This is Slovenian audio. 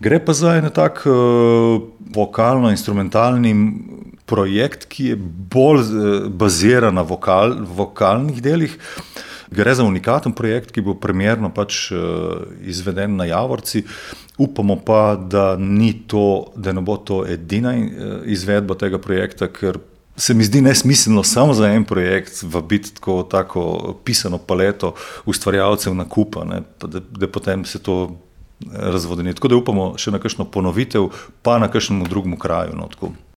Gre pa za en tak vokalno-instrumentalni projekt, ki je bolj baziran na vokalnih delih. Gre za unikaten projekt, ki bo premierno izveden na Javorci. Upamo pa, da ne bo to edina izvedba tega projekta, ker se mi zdi nesmiselno samo za en projekt vabiti tako pisano paleto ustvarjalcev na kup, da potem se to razvodeni. Tako da upamo še na kakšno ponovitev, pa na kakšnem drugem kraju. Tako.